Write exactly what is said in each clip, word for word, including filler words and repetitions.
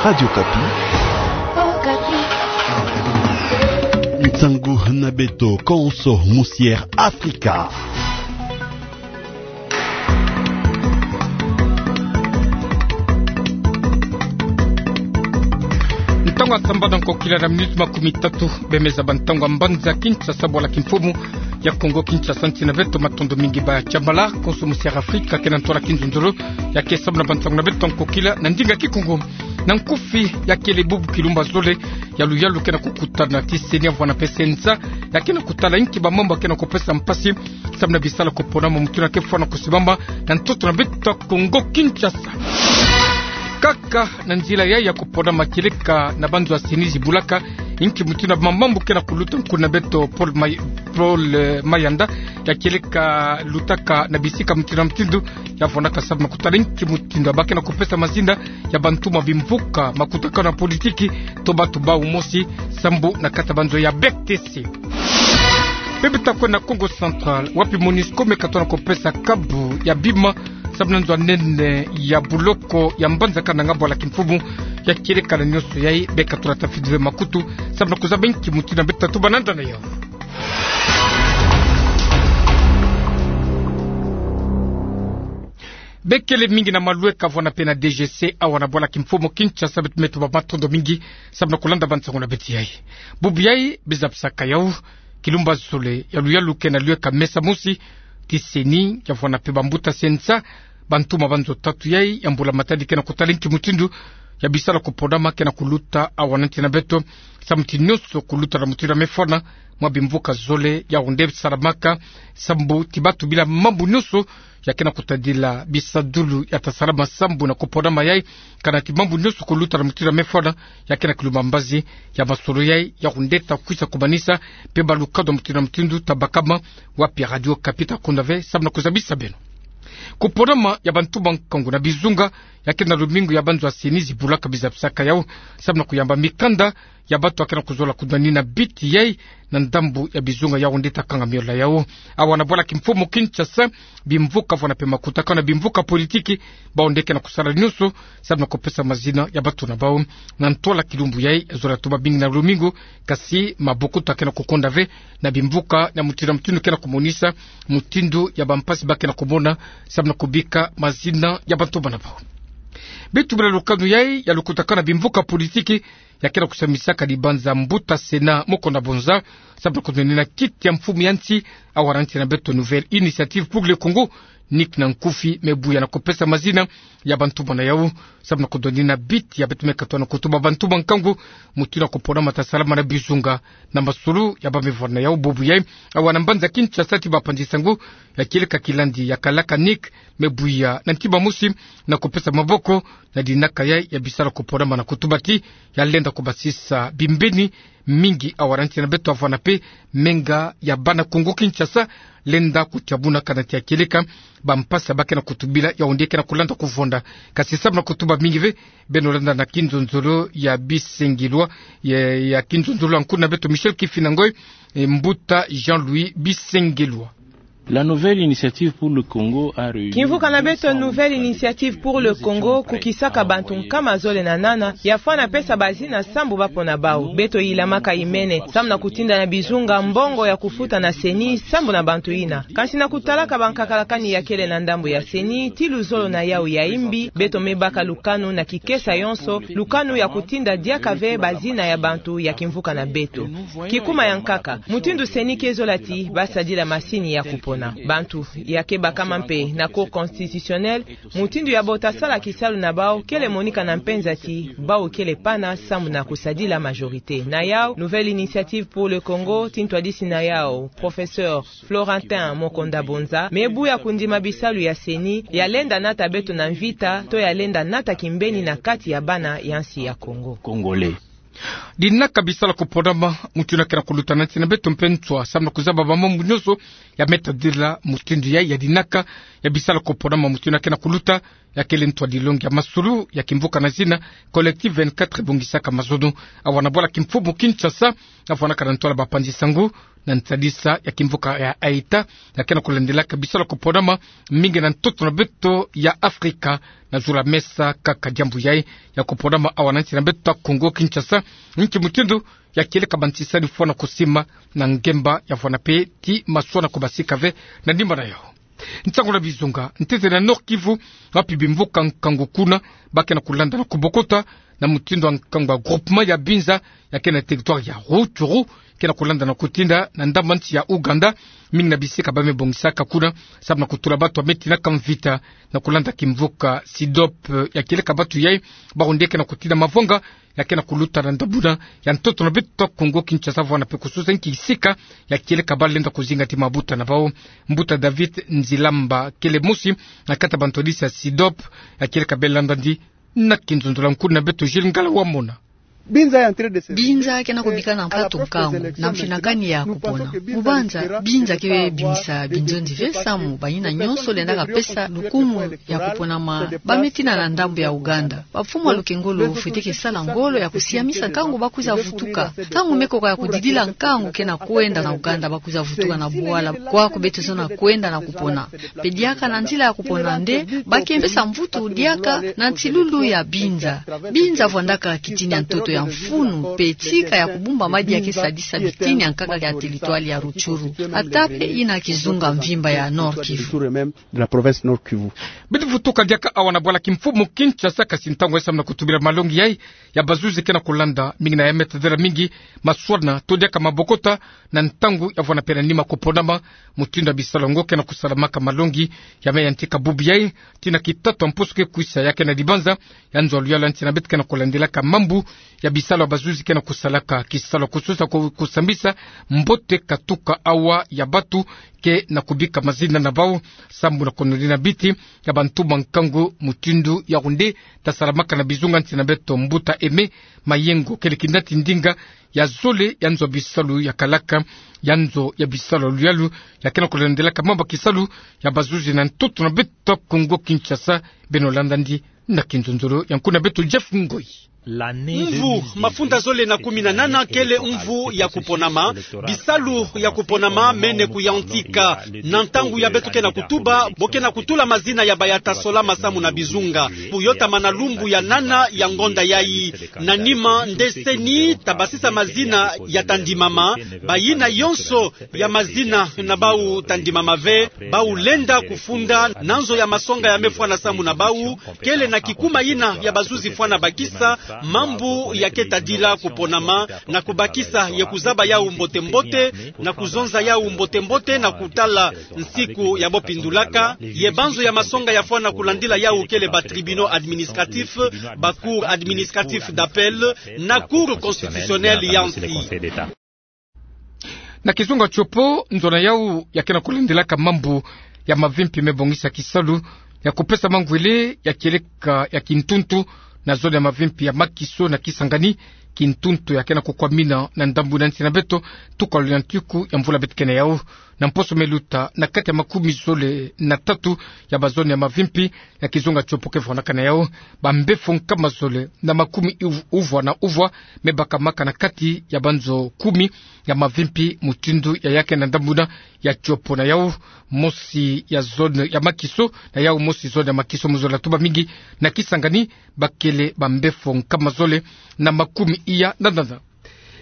Radio Okapi. Nsangu na beto konso musière Afrika. Ntangu ya sambana nkokila na minuti makumi tatu, bemeza bantangu ya mbanza Kinshasa, bwala kimfumu ya Kongo Kinshasa, nsi na beto. Matondo mingi ba tiamala konso musière Afrika, ke na ntwala kinzonzolo ya ke sambana bantangu na beto nkokila na ndinga Kikongo. Na nkufi, ya kele bubu kilumbu ya zole ya luyalu ke na kukutana ti CENI ya vwanda mpe CENSA, ya ke na kutala inki bamambu ya ke na kupesa mpasi samu na bisala kuponama, mutindu ya ke fwana kusimbama na ntoto na beto Kongo Kinshasa. Kaka na nzila yayi ya kuponama, kieleka na banzo ya CENI zibulaka inki mutindu ya bamambu ke na kuluta nkuna beto Paul May-, Paul, eh, Mayanda, ya kieleka lutaka na bisika mutindu na mutindu, ya vwandaka samu na kutala inki mutindu ya ba ke na kupesa mazinda ya bantuma bimvuka, makutakanu ya politiki, to bantu bau mosi, sambu na kati ya banzo ya B T C. Mpe beto ta kwenda na Kongo Central, wapi MONUSCO me katona kupesa kabu ya bima samu na nzo ya nene ya buloko ya mbanza Kananga, bwala kimfumu ya kieleka na nionso yayi, be katona tafidi ve makutu samu na kuzaba inki mutindu ya beto ta tuba na nda na yau. Be kele mingi na malweka vwanda mpe na D G C, awa na bwala kimfumu Kinshasa, beto me tuba matondo mingi samu na kulanda bansangu na beto yayi. Bubu yayi, be zabisaka yau, kilumbu ya zole ya luyalu ke na lweka mesa mosi ti CENI ya vwanda mpe bambuta CENSA, bantuma banzo tatu yayi ya mbula matadi ke na kutala inki mutindu ya bisala kuponama ke na kuluta awa na nsi na beto, samu ti nionso kuluta na mutindu ya me fwana, mwa bimvuka zole ya onde salamaka, sambu ti bantu bila mambu nionso ya ke na kutadila bisadulu ya ta salama sambu na kuponama yayi, kana ti mambu nionso kuluta na mutindu ya me fwana, ya ke na kilumbu ya mbazi ya masolo yayi ya onde ta kwisa kumanisa, mpe balukadu ya mutindu na mutindu ta bakama wapi Radio Okapi ta konda ve samu na kuzabisa beno. Kuponama ya bantuma nkangu na bizunga ya ke na lumingu ya banzo ya CENI zibulaka, be zabisaka yau samu na kuyamba mikanda ya bantu ya ke na kuzola kudwanina biti yayi na ndambu ya bizunga ya onde ta kanga miola yau. Awa na bwala kimfumu Kinshasa, bimvuka vwanda mpe makutakanu ya bimvuka politiki, bau nde ke na kusala nionso samu na kupesa mazina ya bantu na bau. Na ntwala kilumbu yayi, zola tuba mingi na lumingu, kasi mabokoto ya ke na kukonda ve na bimvuka ya mutindu na mutindu ke na kumonisa mutindu ya bampasi ba ke na kumona samu na kubika mazina ya bantuma na bau. Beto tubila lukanu yayi ya lukutakanu ya bimvuka politiki ya ke na kusambisaka dibanza mbuta Sénat Mokonda Bonza samu na kudwanina kiti ya mfumu ya nsi awa na nsi na beto, Nouvelle Initiative pour le Congo, Nick na nkufi, me buya na kupesa mazina ya bantuma na yau samu na kudwanina biti ya beto me katona kutuba bantuma nkangu mutindu ya kuponama ta salama na bizunga na masolo ya ba me vwanda na yau. Bubu yayi, awa na mbanza Kinshasa, ti bapanzi nsangu ya kieleka kilandi ya kalaka Nick, me buya na ntima mosi na kupesa maboko na dinaka yayi ya bisala kuponama na kutuba ti ya lenda kubasisa bimbeni mingi awa na nsi na beto, avwanda mpe menga ya bana Kongo Kinshasa lenda kutiamuna, kana ti ya kieleka bampasi ba ke na kutubila ya onde ke na kulanda kuvonda. Kasi samu na kutuba mingi ve, beno landa na kinzonzolo ya Bisengilwa, ya, ya kinzonzolo ya nkuna beto Michel Kifina Ngoy, eh, mbuta Jean-Louis Bisengilwa. La Nouvelle Initiative pour le Congo a réuni... Kimvuka na beto Nouvelle Initiative pour le Congo kukisaka bantu nkama zole na nana, ya fwana pesa bazina sambu ba pona bau. Beto yilamaka imene samu na kutinda na bizunga mbongo ya kufuta na CENI sambu na bantu yina. Kasi na kutalaka bankakalakani ya kele na ndambu ya CENI, ti luzolo na yau ya imbi, beto me baka lukanu na kikesa yonso, lukanu ya kutinda diaka ve bazina ya bantu ya kimvuka na beto. Kikuma ya nkaka, mutindu CENI ke zola ti ba sadila masini ya kupona bantu ya ke bakama mpe na Cour constitutionnelle, mutindu ya bo ta sala kisalu na bau kele monika na mpenza ti bau kele pana sambu na kusadila majorité. Na yau, Nouvelle Initiative pour le Congo, ti ntwadisi na yau, professeur Florentin Mokonda Bonza, me buya kundima bisalu ya CENI ya lenda nata beto na mvita, to ya lenda nata kimbeni na kati ya bana ya nsi ya Congo. Congolais. Dinaka bisala kuponama mutindu ya ke na kuluta na nsi na beto mpe nswa, samu na kuzaba bamambu nyonso ya me tadila mutindu yayi ya dinaka ya bisala kuponama mutindu ya ke na kuluta ya kele ntu a dilongi ya masolo ya kimvuka na zina Collectif vingt-quatre ebongisaka mazono. Awa na bwala kimfumu Kinshasa, avwanaka na ntwala bapanzi sango na ntadisa ya kimvuka ya Haïti ya ke na kulandelaka bisalu ya kuponama mingi na ntoto na beto ya Afrika. Na zula mesa kaka diambu yayi ya kuponama awa na nsi na beto ya Kongo Kinshasa, nki mutindu ya kieleka bantisani fwana kusima na ngemba ya vwana pe ti maswana kubasika ve na nima na yau. Nsangu na bizunga, ntete na Nord-Kivu, wapi bimvuka nkangu kuna ba ke na kulanda na kubokota na mutindu ya nkangu ya groupement ya Binza ya ke na territoire ya Rutshuru, ke na kulanda na kutinda na ndambu nsi ya Ouganda, mingi na bisika ba me bongisaka kuna samu na kutula batu ya me tinaka mvita na kulanda kimvuka Sidop. Ya kieleka batu yayi, bawu nde ke na kutinda mavwanga ya ke na kuluta na ndambu na ya ntoto na beto Kongo Kinshasa vwana pe kususa nki sika ya kieleka ba lenda kuzinga ti mabuta na bawu. Mbuta David Nzilamba kele mosi na kati ya bantwadisi ya Sidop, ya kieleka be landa ndi na kinzonzolo ya nkuna beto Gilles Ngala Wamona. Binza ke na kubika na mpatu nkangu na mfinakani ya kupona. Mubanza, Binza ke bimisa binzonzi ve samu bayina nyonso lendaka pesa lukumu ya kuponama ba me tina na ndambu ya Ouganda. Bamfumu ya lukengolo fwete ke sala ngolo ya kusiamisa nkangu ba kwiza vutuka. Ntangu me koka ya kudidila nkangu ke na kwenda na Ouganda, ba kwiza vutuka na bwala kwaku beto zola kwenda na kupona. Mpe diaka na nzila ya kupona nde ba ke pesa mvutu diaka na nsilulu ya Binza. Binza vwandaka kitini ya ntoto ya mfunu mpe tika ya kubumba madia ke sadisa bitini ya nkaka ya territoire ya Rutshuru. Ata mpe yina kizunga mvimba ya Nord-Kivu. Beto vutuka diaka awa na bwala kimfumu Kinshasa, kasi ntangu ya samu na kutubila malongi yayi ya bazuzi ke na kulanda mingi na ya me tadila mingi maswana to diaka mabokota na ntangu ya vwana pe na nima kuponama. Mutindu ya bisalu yango ke na kusalamaka, malongi ya me yantika bubu yayi ti na kitatu ya mposo ke kwisa ya ke na dibanza ya nzo ya luyalu ya nsi na beto ke na kulandelaka mambu ya bisalu ya bazuzi ke na kusalaka, kisalu ya kususa ku-, kusambisa mbote katuka awa ya batu ke na kubika mazina na bawu sambu na kununina biti ya bantu ba nkangu. Mutindu yawu nde ta salamaka na bizunga nsi na beto. Mbuta Aimé Mayengo kele kinati ndinga ya zole ya nzo ya bisalu ya kalaka, ya nzo ya bisalu ya luyalu ya ke na kulandelaka mambu ya kisalu ya bazuzi na ntoto na beto Kongo Kinshasa. Beno landa ndi na kinzonzolo ya nkuna beto Jeff Ngoyi. Mvu mafunda zole na kumi na nana kele mvu ya kuponama. Bisalu ya kuponama mene kuyantika. Na ntangu ya beto ke na kutuba, bo ke na kutula mazina ya baya ta sola masamu na bizunga. Buyotama na lumbu ya nana ya ngonda yayi. Na nima nde CENI ta basisa mazina ya ta ndimama. Bayina yonso ya mazina na bawu ta ndimama ve, bawu lenda kufunda na nzo ya masonga ya me fwana samu na bawu, kele na kikuma yina ya bazuzi fwana bakisa mambu ya ke tadila kuponama, na kubakisa ye kuzaba yawu mbote-mbote, na kuzonza yawu mbote-mbote, na kutala nsiku ya bo pindulaka, ye banzo ya masonga ya fwana kulandila yawu kele ba tribunaux administratifs, ba cours administratifs d'appel, na Cour constitutionnelle ya nsi. Na kizunga Tshopo, nzo na yawu ya ke na kulandelaka mambu ya mavimpi me bongisa kisalu ya kupesa mangwele ya kieleka ya kintuntu na zone ya mavimpi ya Makiso na Kisangani. Kintuntu ya ke na kukwamina na ndambu na nsi na beto tuka luyantiku ya mvula beto ke na yawu. Na mposo me luta, na kati ya makumi zole na tatu ya bazone ya mavimpi ya kizunga Tshopo ke vwanaka na yawu, bambefo nkama zole na makumi uv-, uvwa na uvwa me bakamaka na kati ya banzo kumi ya mavimpi mutindu ya ya ke na ndambu na ya Tshopo. Na yawu mosi ya zone ya Makiso, na yawu mosi zone ya Makiso, mu zola tuba mingi na Kisangani, bakele bambefo nkama zole na makumi iya na nana.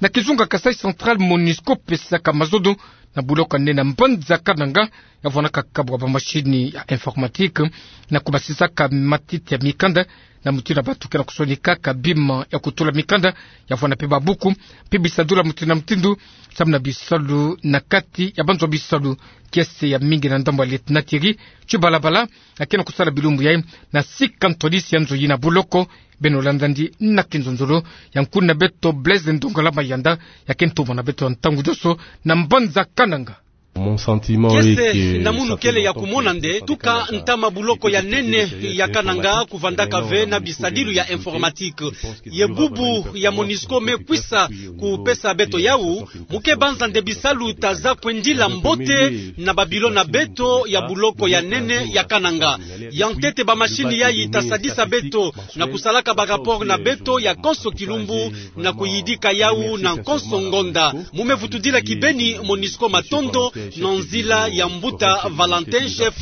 Na kizunga Kasaï Central, MONUSCO pesaka mazono na buloko ya nde na mbanza Kananga, ya vwanaka kabu ya bamashini ya informatique, na kubasisaka matiti ya mikanda, na mutindu ya bantu ke na kusonikaka bima ya kutula mikanda, ya vwana mpe babuku, mpe bisadula mutindu na mutindu, samu na bisalu na kati ya banzo bisalu. Kiese ya mingi na ndambu ya Lieutenant Thierry Tshibalabala, ya ke na kusala bilumbu yayi na sika ntwadisi ya nzo yina buloko. Beno landa ndi na kinzonzolo ya nkuna beto Blaise Ndongala Mayanda, ya ke ntumwa na beto ya ntangu dioso na mbanza Kananga. Kiese na munu kele ya kumona nde tuka ntama buloko ya nene ya Kananga kuvandaka ve na bisadilu ya informatique. Ye bubu ya Monusco me kwisa kupesa beto yau, mu ke banza nde bisalu ta za kwendila mbote na ba bilo na beto ya buloko ya nene ya Kananga. Ya ntete ba machine yayi ta sadisa beto na kusalaka ba rapport na beto ya konso kilumbu na kuyidika yau na konso ngonda. Mu me vutudila kibeni Monusco matondo na nzila ya mbuta Valentin, chef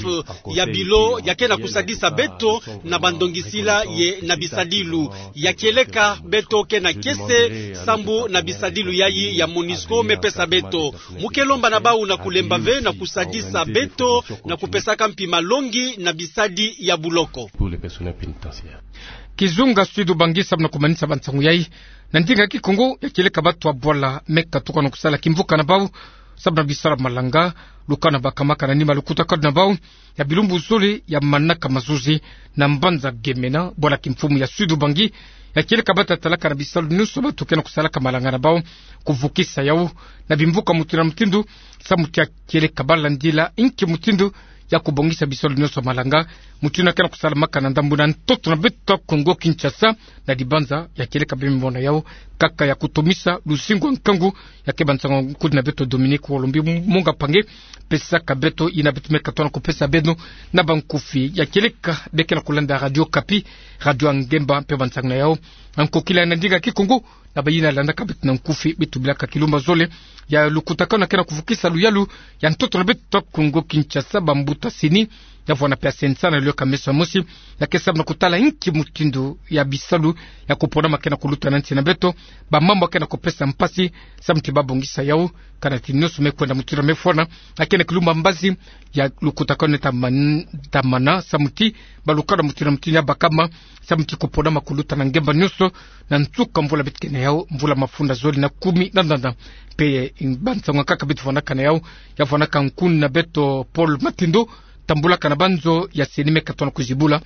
ya bilo ya ke na kusadisa beto na ba ndongisila ye na bisadilu. Ya kieleka beto ke na kiese sambu na bisadilu yayi ya Monusco me pesa beto. Mu ke lomba na bau na kulemba ve na kusadisa beto na kupesaka mpi malongi na bisadi ya buloko. Kizunga Sud-Ubangi samu na kumanisa ba nsangu yayi. Na ndinga Kikongo, ya kieleka bato ya bwala me katuka na kusala kimvuka na bau samu na bisalu ya malanga, lukanu bakamaka na nima lukutakanu na bau ya bilumbu zole ya manaka mazuzi na mbanza Gemena, bwala kimfumu ya Sud-Ubangi. Ya kieleka bato ya talaka na bisalu nyonso bato ke na kusalaka malanga na bau, kuvukisa yau na bimvuka mutindu na mutindu, samu ti ya kieleka ba landila inki mutindu ya kubongisa bisalu nyonso ya malanga. Mutindu ya ke na kusalamaka na ndambu na ntoto na beto Kongo Kinshasa, na dibanza ya kieleka beno me mona yau, kaka ya kutomisa luzingu ya nkangu. Ya ke ba nsangu ya nkudi na beto Dominique Olombi Monga Mpangi, pesaka beto yina beto me katuka na kupesa beno na ba nkufi. Ya kieleka beno ke na kulanda Radio Okapi, radio ya ngemba mpe ba nsangu na yau ya nkokila na ndinga Kikongo, na bayina landaka beto na nkufi, beto bilaka kilumbu zole ya lukutakanu ke na kuvukisa luyalu ya ntoto na beto Kongo Kinshasa, bambuta CENI, ya vwanda mpe ya CNSA na luyaka meso ya mosi, ya ke samu na kutala inki mutindu ya bisalu ya kuponama ke na kuluta na nsi na beto, ba mambu ya ke na kupesa mpasi, samu ti ba bongisa yau, kana ti nyonso me kwenda mutindu ya me fwana. Ya ke na kilumbu ya mbazi ya lukutakanu ta man-, ta mana, samu ti ba lukanu mutindu na mutindu ya bakama, samu ti kuponama kuluta na ngemba nyonso, na nsuka mvula beto ke na yau, mvula mafunda zole na kumi na nana. Mpe ba nsangu ya nkaka beto vwandaka na yau, ya vwandaka nkuna beto Paul Matindo, tambulaka na banzo ya CENI me katuka na kuzibula.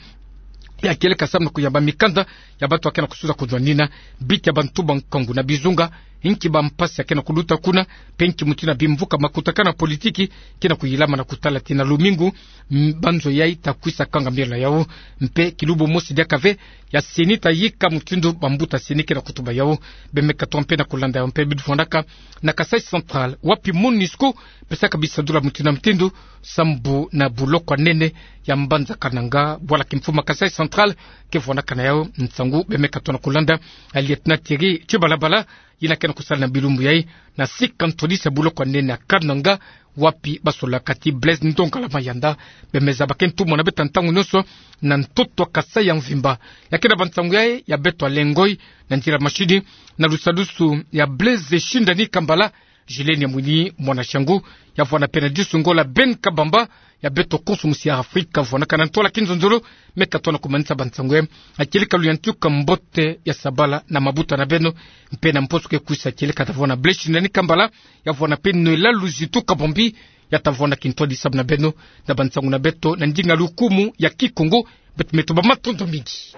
Ya kieleka samu na kuyamba mikanda ya bato ya ke na kusuza kuzwanina biti ya bantu ba nkangu na bizunga, inki ba mpasi ya ke na kuluta kuna, mpe inki mutindu na bimvuka makutakanu ya politiki ke na kuyilama na kutala ti na lumingu, m-, banzo yayi ta kwisa kanga mielo na yau. Mpe kilumbu mosi diaka ve ya CENI ta yika mutindu bambuta CENI ke na kutuba yau. Beno me katuka mpe na kulanda yau. Mpe beto vwandaka na Kasaï Central, wapi Monusco pesaka bisadula mutindu na mutindu sambu na buloko ya nene ya mbanza Kananga, bwala kimfumu ya Kasaï Central ke vwandaka na yau nsangu. Beno me katuka na kulanda ya lieutenant Thierry Tshibalabala, yina ke na kusala na bilumbu yayi na sika ntwadisi ya buloko ya nene ya Kananga, wapi ba solaka ti Blaise Ndongala Mayanda. Beno me zaba ke ntumwa na beto ntangu nyonso na ntoto ya Kasaï ya mvimba. Ya ke na ba nsangu yayi ya beto ya lengoi na nzila mashini, na lusadusu ya Blaise Shindani Kambala, Gilles Nyamwini, mwana Shangu, ya vwanda mpe na disu ngolo ya Ben Kabamba, ya beto konso musi ya Afrika, vwandaka na ntwala kinzonzolo, me katuka na kumanisa ba nsangu yayi. Ya kieleka luyantika mbote ya sabala na mabuta na beno, mpe na mposo ke kwisa kieleka ta vwanda Blaise Shindani Kambala, ya vwanda mpe Noëlla Luzitu Kabombi, ya ta vwanda kintwadi samu na beno, na ba nsangu na beto na ndinga lukumu ya Kikongo. Beto me tuba matondo mingi.